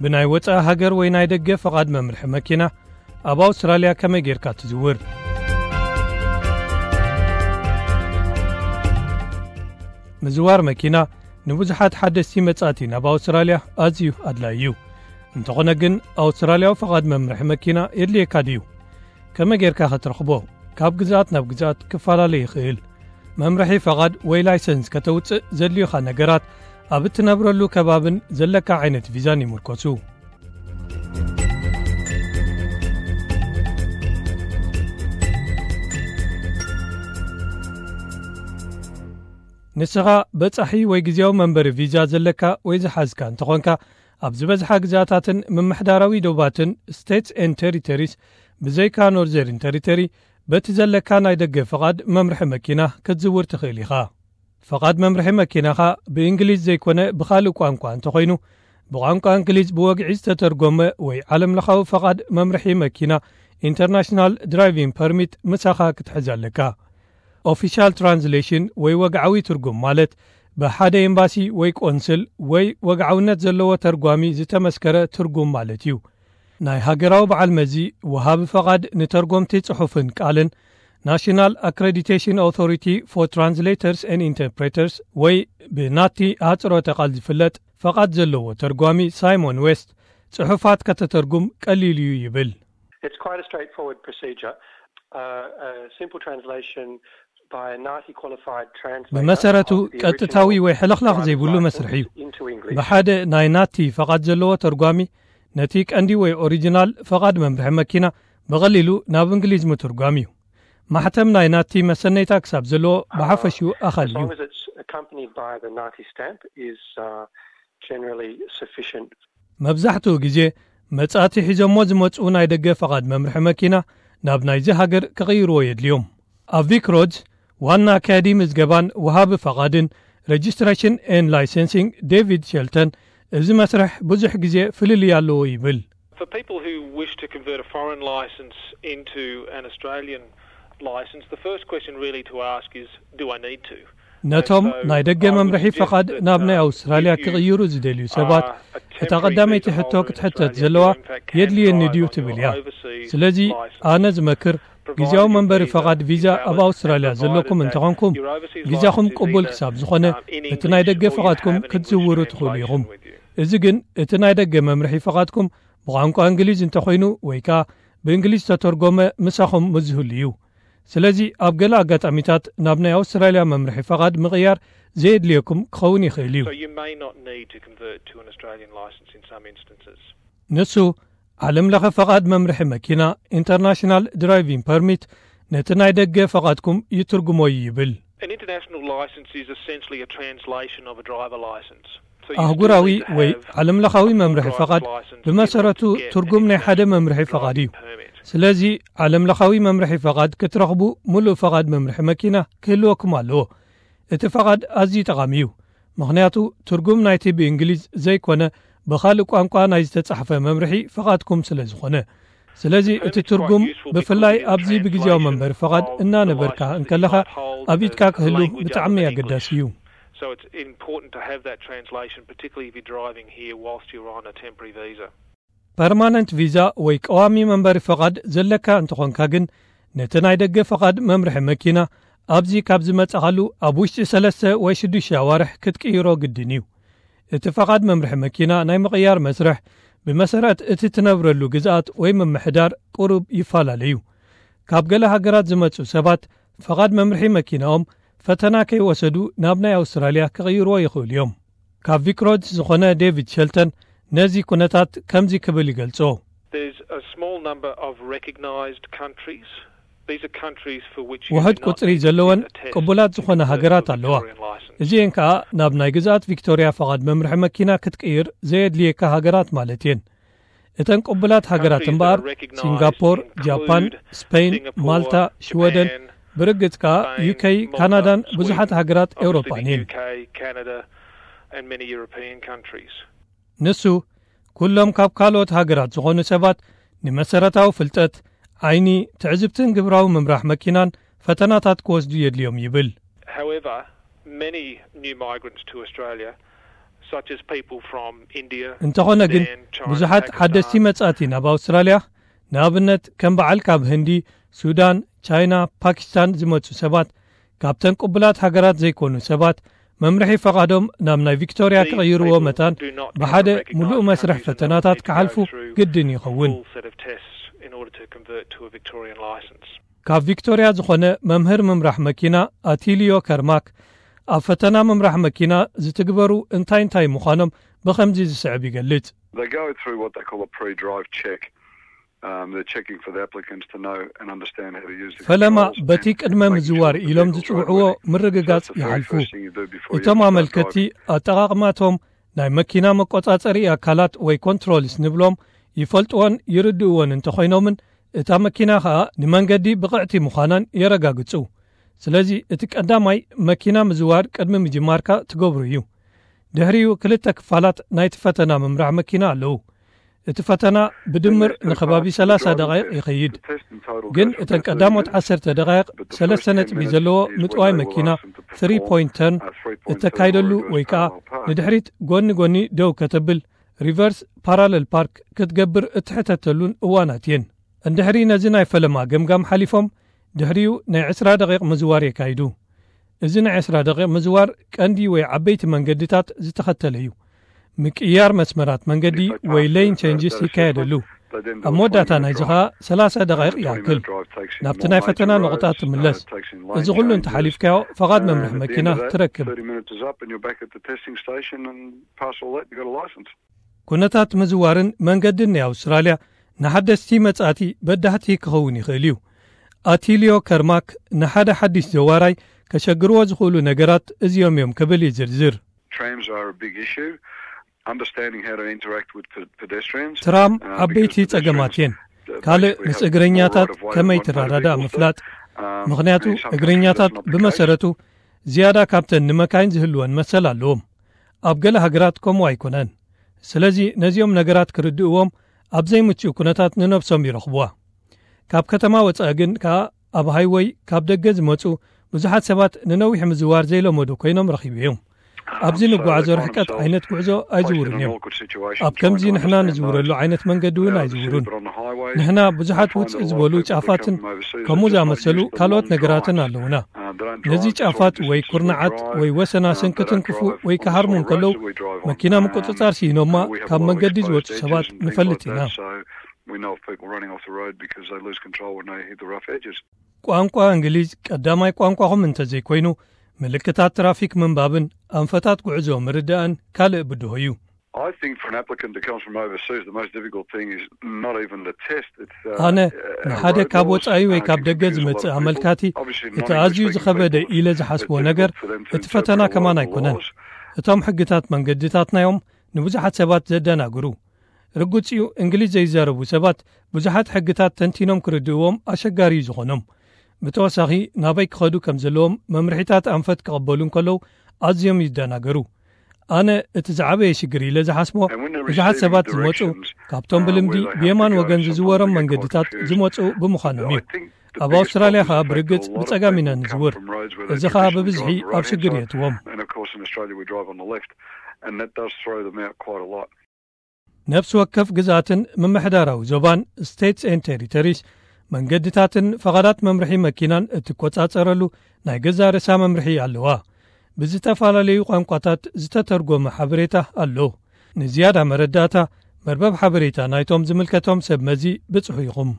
ብናይ ወጻኢ ሃገር ወይ ናይ ደገ ፈቓድ መምርሒ መኪና ኣብ ኣውስትራልያ ከመይ ጌርካ ትዝውር? ምዝዋር መኪና ንብዙሓት ሓደስቲ መጻእቲ ናብ ኣውስትራልያ ኣዝዩ ኣድላዪ እዩ። እንተኾነ ግን፣ ኣውስትራልያዊ ፈቓድ መምርሒ መኪና የድልየካ ድዩ? ከመይ ጌርካ ኸትረኽቦ? ካብ ግዝኣት ናብ ግዝኣት ክፈላለ ይኽእል። መምርሒ ፈቓድ ወይ ላይሰንስ ከተውጽእ ዘድልዩኻ ነገራት ኣብ እትነብረሉ ከባብን ዘለካ ዓይነት ቪዛን ይምርኮሱ። ንስኻ በጻሒ ወይ ግዜያዊ መንበሪ ቪዛ ዘለካ ወይ ዝሓዝካ እንተኾንካ፣ ኣብ ዝበዝሓ ግዝኣታትን ምምሕዳራዊ ዶባትን፣ ስቴትስ ኤንድ ቴሪቶሪስ፣ ብዘይካ ኖርዘርን ቴሪቶሪ፣ በቲ ዘለካ ናይ ደገ ፍቓድ መምርሒ መኪና ክትዝውር ትኽእል ኢኻ። ፍቓድ መምርሒ መኪናኻ ብእንግሊዝ ዘይኮነ ብኻልእ ቋንቋ እንተኾይኑ፣ ብቋንቋ እንግሊዝ ብወግዒ ዝተተርጎመ ወይ ዓለምለኻዊ ፍቓድ መምርሒ መኪና፣ ኢንተርናሽናል ድራይቪንግ ፐርሚት፣ ምሳኻ ክትሕዝ ኣለካ። ኦፊሻል ትራንስሌሽን ወይ ወግዓዊ ትርጉም ማለት፣ ብሓደ ኤምባሲ ወይ ቆንስል ወይ ወግዓውነት ዘለዎ ተርጓሚ ዝተመስከረ ትርጉም ማለት እዩ። ናይ ሃገራዊ በዓል መዚ፣ ወሃቢ ፈቓድ ንተርጎምቲ ጽሑፍን ቃልን፣ ናሽናል ኣክሬዲቴሽን ኣውቶሪቲ ፎር ትራንስሌተርስ ኤንድ ኢንተርፕሬተርስ ወይ ብናቲ ኣህጽሮተ ቃል ዝፍለጥ ፈቓድ ዘለዎ ተርጓሚ ሳይሞን ዌስት ጽሑፋት ከተተርጉም ቀሊል እዩ ይብል። It's quite a straightforward procedure. Uh, a simple translation by a NAATI qualified translator ብመሰረቱ of the ቀጥታዊ original ወይ ሕልኽላኽ driver's ዘይብሉ license መስርሕ እዩ። Into English. ብሓደ ናይ ናቲ ፈቓድ ዘለዎ ተርጓሚ ነቲ ቀንዲ ወይ ኦሪጂናል ፈቓድ መምርሒ መኪና ብቐሊሉ ናብ እንግሊዝ ምትርጓም እዩ። ማሕተም ናይ ናቲ መሰነይታ ክሳብ ዘለዎ ብሓፈሽኡ ኣኻሊ As እዩ። Long as it's accompanied by the NAATI stamp is, uh, generally sufficient. መብዛሕትኡ ግዜ መጻእቲ ሒዞሞ ዝመጽኡ ናይ ደገ ፈቓድ መምርሒ መኪና ናብ ናይዚ ሃገር ክቕይርዎ የድልዮም። ኣብ ቪክ ሮድስ ዋና ኣካያዲ ምዝገባን ወሃቢ ፈቓድን፣ ሬጅስትሬሽን ኤንድ ላይሰንሲንግ፣ ዴቪድ ሸልተን፣ እዚ መስርሕ ብዙሕ ግዜ ፍልልይ ኣለዎ ይብል። For people who wish to convert a foreign license into an Australian license, the first question really to ask is, do I need to? ነቶም ናይ ደገ መምርሒ ፈቓድ ናብ ናይ ኣውስትራልያ ክቕይሩ ዝደልዩ ሰባት፣ እታ ቀዳመይቲ ሕቶ ክትሕተት ዘለዋ፣ የድልየኒ ድዩ ትብል እያ። ስለዚ ኣነ ዝመክር፣ ግዜያዊ መንበሪ ፈቓድ ቪዛ ኣብ ኣውስትራልያ ዘለኩም እንተኾንኩም፣ ቪዛኹም ቅቡል ክሳብ ዝኾነ፣ እቲ ናይ ደገ ፈቓድኩም ክትዝውሩ ትኽእሉ ኢኹም። እዚ ግን እቲ ናይ ደገ መምርሒ ፈቓድኩም ብቋንቋ እንግሊዝ እንተኾይኑ ወይ ከኣ ብእንግሊዝ ዝተተርጎመ ምሳኹም ምዝህሉ እዩ። ስለዚ ኣብ ገለ ኣጋጣሚታት ናብ ናይ ኣውስትራልያ መምርሒ ፈቓድ ምቕያር ዘየድልየኩም ክኸውን ይኽእል እዩ። So you may not need to convert to an Australian licence in some instances. ንሱ ዓለም ለኸ ፈቓድ መምርሒ መኪና፣ ኢንተርናሽናል ድራይቪንግ ፐርሚት፣ ነቲ ናይ ደገ ፈቓድኩም ይትርጉሞ እዩ ይብል። An international licence is essentially a translation of a driver licence. So you still ኣህጉራዊ need to ወይ have ዓለም ለኻዊ a full መምርሒ driver's ፈቓድ licence in ብመሰረቱ order to get ትርጉም an ናይ ሓደ international መምርሒ ፈቓድ እዩ። Driving permit. ስለዚ ዓለም ለኻዊ መምርሒ ፈቓድ ክትረኽቡ፣ ምሉእ ፈቓድ መምርሒ መኪና ክህልወኩም ኣለዎ። እቲ ፈቓድ ኣዝዩ ጠቓሚ እዩ፣ ምኽንያቱ ትርጉም ናይቲ ብእንግሊዝ ዘይኮነ ብኻልእ ቋንቋ ናይ ዝተጻሕፈ መምርሒ ፈቓድኩም ስለ ዝኾነ። ስለዚ እቲ ትርጉም ብፍላይ ኣብዚ ብግዜያዊ መንበሪ ፈቓድ እናነበርካ እንከለኻ ኣብ ኢድካ ክህሉ ብጣዕሚ ኣገዳሲ እዩ። So it's important to have that translation, particularly if you're driving here whilst you're on a temporary visa. ፐርማነንት ቪዛ ወይ ቀዋሚ መንበሪ ፈቓድ ዘለካ እንተኾንካ ግን፣ ነቲ ናይ ደገ ፈቓድ መምርሒ መኪና ኣብዚ ካብ ዝመጻኻሉ ኣብ ውሽጢ ሰለስተ ወይ ሽዱሽተ ኣዋርሕ ክትቅይሮ ግድን እዩ። እቲ ፈቓድ መምርሒ መኪና ናይ ምቕያር መስርሕ ብመሰረት እቲ ትነብረሉ ግዝኣት ወይ ምምሕዳር ቁሩብ ይፈላለ እዩ። ካብ ገለ ሃገራት ዝመጹ ሰባት ፈቓድ መምርሒ መኪናኦም ፈተና ከይወሰዱ ናብ ናይ ኣውስትራልያ ክቕይርዎ ይኽእሉ እዮም። ካብ ቪክ ሮድስ ዝኾነ ዴቪድ ሸልተን ነዚ ኩነታት ከምዚ ክብል ይገልጾ። There's a small number of recognised countries. These are countries for which you ውሑድ do not ቁጽሪ need to ዘለወን get a test ቅቡላት ዝኾነ to ሃገራት convert to ኣለዋ። Victorian licence. እዚኤን ከኣ ናብ ናይ ግዝኣት ቪክቶርያ ፈቓድ መምርሒ መኪና ክትቅይር ዘየድልየካ ሃገራት ማለት እየን። እተን ቅቡላት ሃገራት እምበኣር፣ ሲንጋፖር፣ ጃፓን፣ ስፔን፣ ማልታ፣ ሽወደን፣ ብርግጽ ከኣ ዩኬይ፣ ካናዳን ብዙሓት ሃገራት ኤውሮጳን እየን። ንሱ፣ ኩሎም ካብ ካልኦት ሃገራት ዝኾኑ ሰባት ንመሰረታዊ ፍልጠት፣ ዓይኒ፣ ትዕዝብትን ግብራዊ ምምራሕ መኪናን ፈተናታት ክወስዱ የድልዮም ይብል። However, many new migrants to Australia እንተኾነ ግን ብዙሓት ሓደስቲ መጻእቲ ናብ ኣውስትራልያ፣ ንኣብነት ከም በዓል ካብ ህንዲ፣ ሱዳን፣ ቻይና፣ ፓኪስታን ዝመጹ ሰባት፣ ካብተን ቅቡላት ሃገራት ዘይኮኑ ሰባት መምርሒ ፈቓዶም ናብ ናይ ቪክቶርያ ክቕይርዎ መታን ብሓደ ምሉእ መስርሕ ፈተናታት ክሓልፉ ግድን ይኸውን። ካብ ቪክቶርያ ዝኾነ መምህር ምምራሕ መኪና ኣቲልዮ ከርማክ፣ ኣብ ፈተና ምምራሕ መኪና ዝትግበሩ እንታይ እንታይ ምዃኖም ብኸምዚ ዝስዕብ ይገልጽ። They go through what they call a pre-drive check. Um, they're checking for the applicants to know and understand how to use the ፈለማ controls በቲ and ቅድመ make ምዝዋር sure that ኢሎም the vehicle's ዝጽውዕዎ roadworthy. ምርግጋጽ So that's the very ይሓልፉ። First thing you do before you እቶም start ኣመልከቲ driving. ኣጠቓቕማቶም ናይ መኪና መቆጻጸሪ ኣካላት ወይ ኮንትሮልስ ንብሎም ይፈልጥዎን ይርድእዎን እንተኾይኖምን፣ እታ መኪና ኸኣ ንመንገዲ ብቕዕቲ ምዃናን የረጋግጹ። ስለዚ እቲ ቀዳማይ መኪና ምዝዋር ቅድሚ ምጅማርካ ትገብሩ እዩ። ድሕሪኡ ክልተ ክፋላት ናይቲ ፈተና ምምራሕ መኪና ኣለዉ። እቲ ፈተና ብድምር ንከባቢ ሰላሳ ደቓይቕ ይኸይድ። ግን እተን ቀዳሞት ዓሰርተ ደቓይቕ ሰለስተ ነጥቢ ዘለዎ ምጥዋይ መኪና፣ ትሪ ፖይንት ተርን፣ እተካይደሉ ወይ ከኣ ንድሕሪት ጎኒ ጎኒ ደው ከተብል፣ ሪቨርስ ፓራለል ፓርክ ክትገብር እትሕተተሉን እዋናት እየን። እንድሕሪ ነዚ ናይ ፈለማ ገምጋም ሓሊፎም፣ ድሕሪኡ ናይ ዕስራ ደቂቕ ምዝዋር የካይዱ። እዚ ናይ ዕስራ ደቂቕ ምዝዋር ቀንዲ ወይ ዓበይቲ መንገድታት ዝተኸተለ እዩ። ምቅያር መስመራት መንገዲ ወይ ሌን ቼንጅስ ይካየደሉ። ኣብ መወዳእታ ናይዚ ኸኣ ሰላሳ ደቓይቕ ይኣክል ናብቲ ናይ ፈተና ነቑጣ ትምለስ። እዚ ኩሉ እንተሓሊፍካዮ፣ ፈቓድ መምርሒ መኪና ትረክብ። ኩነታት ምዝዋርን መንገድን ናይ ኣውስትራልያ ንሓደስቲ መጻእቲ በዳህቲ ክኸውን ይኽእል እዩ። ኣቲልዮ ከርማክ ንሓደ ሓድሽ ዘዋራይ ከሸግርዎ ዝኽእሉ ነገራት እዚኦም እዮም ክብል ይዝርዝር። Trams are a big issue. Understanding how to interact with pe- pedestrians. ትራም ዓበይቲ ጸገማት እየን። ካልእ ምስ እግረኛታት ከመይ ትረዳዳእ ምፍላጥ። ምኽንያቱ እግረኛታት ብመሰረቱ ዝያዳ ካብተን ንመካይን ዝህልወን መሰል ኣለዎም። ኣብ ገለ ሃገራት ከምኡ ኣይኮነን። ስለዚ ነዚኦም ነገራት ክርድእዎም ኣብ ዘይምቹእ ኩነታት ንነብሶም ይረኽብዋ። ካብ ከተማ ወጻኢ ግን ከኣ ኣብ ሃይወይ ካብ ደገ ዝመጹ ብዙሓት ሰባት ንነዊሕ ምዝዋር ዘይለመዱ ኮይኖም ረኺበዮም። ኣብዚ ንጓዓዞ ርሕቀት ዓይነት ጉዕዞ ኣይዝውሩን እዮም። ኣብ ከምዚ ንሕና ንዝውረሉ ዓይነት መንገዲ እውን ኣይዝውሩን። ንሕና ብዙሓት ውጽእ ዝበሉ ጫፋትን ከምኡ ዝኣመሰሉ ካልኦት ነገራትን ኣለዉና። ነዚ ጫፋት ወይ ኩርናዓት ወይ ወሰናስን ክትንክፉ ወይ ክሃርሙ እንከለዉ መኪና ምቁጽጻር ስኢኖማ ካብ መንገዲ ዝወጹ ሰባት ንፈልጥ ኢና። We know of people running off the road because they lose control when they hit the rough edges. ቋንቋ እንግሊዝ ቀዳማይ ቋንቋኹም እንተዘይኮይኑ፣ ምልክታት ትራፊክ ምንባብን ኣንፈታት ጉዕዞ ምርዳእን ካልእ ብድሆ እዩ። I think for an applicant that comes from overseas, the most difficult thing is not even the test. It's, uh, ኣነ ንሓደ ካብ ወጻኢ ወይ ካብ ደገ ዝመጽእ ኣመልካቲ እቲ ኣዝዩ ዝኸበደ ኢለ ዝሓስቦ ነገር እቲ ፈተና ከማን ኣይኮነን። እቶም ሕግታት መንገድታትናዮም ንብዙሓት ሰባት ዘደናግሩ። ርጉጽ እዩ፣ እንግሊዝ ዘይዛረቡ ሰባት ብዙሓት ሕግታት ተንቲኖም ክርድእዎም ኣሸጋሪ እዩ ዝኾኖም። ብተወሳኺ ናበይ ክኸዱ ከም ዘለዎም መምርሒታት ኣንፈት ክቐበሉ እንከለዉ ኣዝዮም ይደናገሩ። ኣነ እቲ ዝዓበየ ሽግር ኢለ ዝሓስቦ ብዙሓት ሰባት ዝመጹ ካብቶም ብልምዲ ብየማን ወገን ዝዝወሮም መንገድታት ዝመጹ ብምዃኖም እዩ። ኣብ ኣውስትራልያ ኸኣ ብርግጽ ብጸጋም ኢና ንዝውር። እዚ ኸኣ ብብዝሒ ኣብ ሽግር የእትዎም። And of course in Australia we drive on the left and that does throw them out quite a lot. ነፍሲ ወከፍ ግዝኣትን ምምሕዳራዊ ዞባን፣ ስቴትስ ኤንድ ቴሪቶሪስ፣ መንገድታትን ፈቓዳት መምርሒ መኪናን እትቆጻጸረሉ ናይ ገዛእ ርእሳ መምርሒ ኣለዋ። ብዝተፈላለዩ ቋንቋታት ዝተተርጎመ ሓበሬታ ኣሎ። ንዝያዳ መረዳእታ መርበብ ሓበሬታ ናይቶም ዝምልከቶም ሰብ መዚ ብጽሑ ኢኹም።